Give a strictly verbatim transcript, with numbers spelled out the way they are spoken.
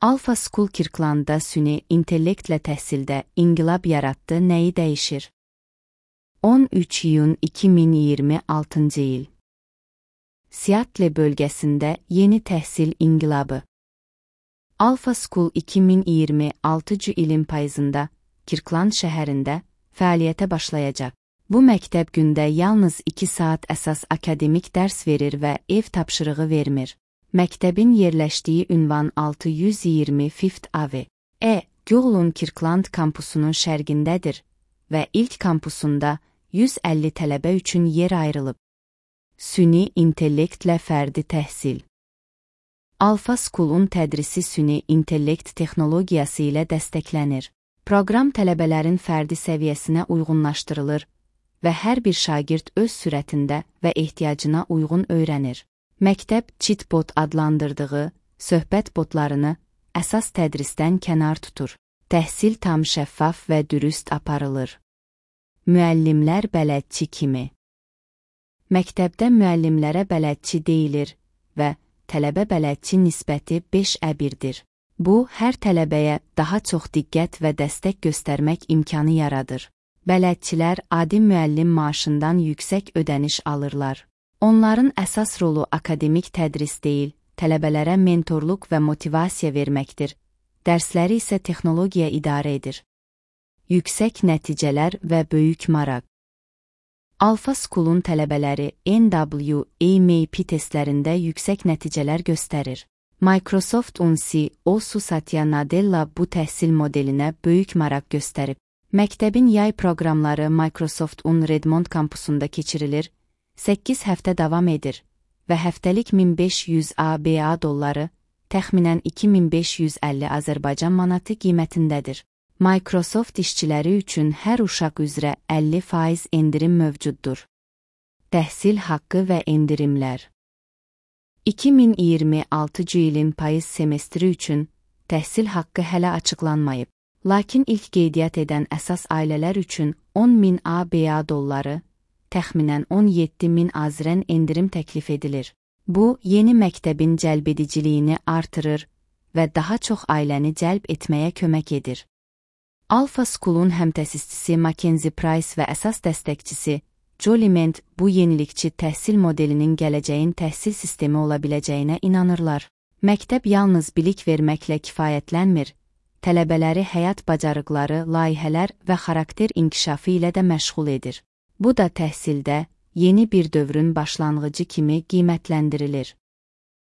Alpha School Kirklandda süni intellektlə təhsildə inqilab yaratdı, nəyi dəyişir? on üç iyun iki min iyirmi altıncı il. Seattle bölgəsində yeni təhsil inqilabı. Alpha School iki min iyirmi altıncı ilin payızında Kirkland şəhərində fəaliyyətə başlayacaq. Bu məktəb gündə yalnız iki saat əsas akademik dərs verir və ev tapşırığı vermir. Məktəbin yerləşdiyi ünvan altı yüz iyirmi Fifth Avenue, E. Google'un Kirkland kampusunun şərqindədir və ilk kampusunda yüz əlli tələbə üçün yer ayrılıb. Süni intellektlə fərdi təhsil. Alpha School'un tədrisi süni intellekt texnologiyası ilə dəstəklənir. Proqram tələbələrin fərdi səviyyəsinə uyğunlaşdırılır və hər bir şagird öz sürətində və ehtiyacına uyğun öyrənir. Məktəb chatbot adlandırdığı söhbət botlarını əsas tədrisdən kənar tutur. Təhsil tam şəffaf və dürüst aparılır. Müəllimlər bələdçi kimi. Məktəbdə müəllimlərə bələdçi deyilir və tələbə bələdçi nisbəti beşə birdir. Bu, hər tələbəyə daha çox diqqət və dəstək göstərmək imkanı yaradır. Bələdçilər adi müəllim maaşından yüksək ödəniş alırlar. Onların əsas rolu akademik tədris deyil, tələbələrə mentorluq və motivasiya verməkdir. Dərsləri isə texnologiya idarə edir. Yüksək nəticələr və böyük maraq. Alpha School'un tələbələri N W A M P testlərində yüksək nəticələr göstərir. Microsoft U N C O S U Satya Nadella bu təhsil modelinə böyük maraq göstərib. Məktəbin yay proqramları Microsoft U N Redmond kampusunda keçirilir, səkkiz həftə davam edir və həftəlik min beş yüz A B A dolları, təxminən iki min beş yüz əlli Azərbaycan manatı qiymətindədir. Microsoft işçiləri üçün hər uşaq üzrə əlli faiz endirim mövcuddur. Təhsil haqqı və endirimlər. iki min iyirmi altıncı ilin payız semestri üçün təhsil haqqı hələ açıqlanmayıb. Lakin ilk qeydiyyat edən əsas ailələr üçün on min A B A dolları, təxminən on yeddi min azrən endirim təklif edilir. Bu, yeni məktəbin cəlbediciliyini artırır və daha çox ailəni cəlb etməyə kömək edir. Alpha School'un həmtəsisçisi Mackenzie Price və əsas dəstəkçisi Jolie Ment bu yenilikçi təhsil modelinin gələcəyin təhsil sistemi ola biləcəyinə inanırlar. Məktəb yalnız bilik verməklə kifayətlənmir, tələbələri həyat bacarıqları, layihələr və xarakter inkişafı ilə də məşğul edir. Bu da təhsildə yeni bir dövrün başlanğıcı kimi qiymətləndirilir.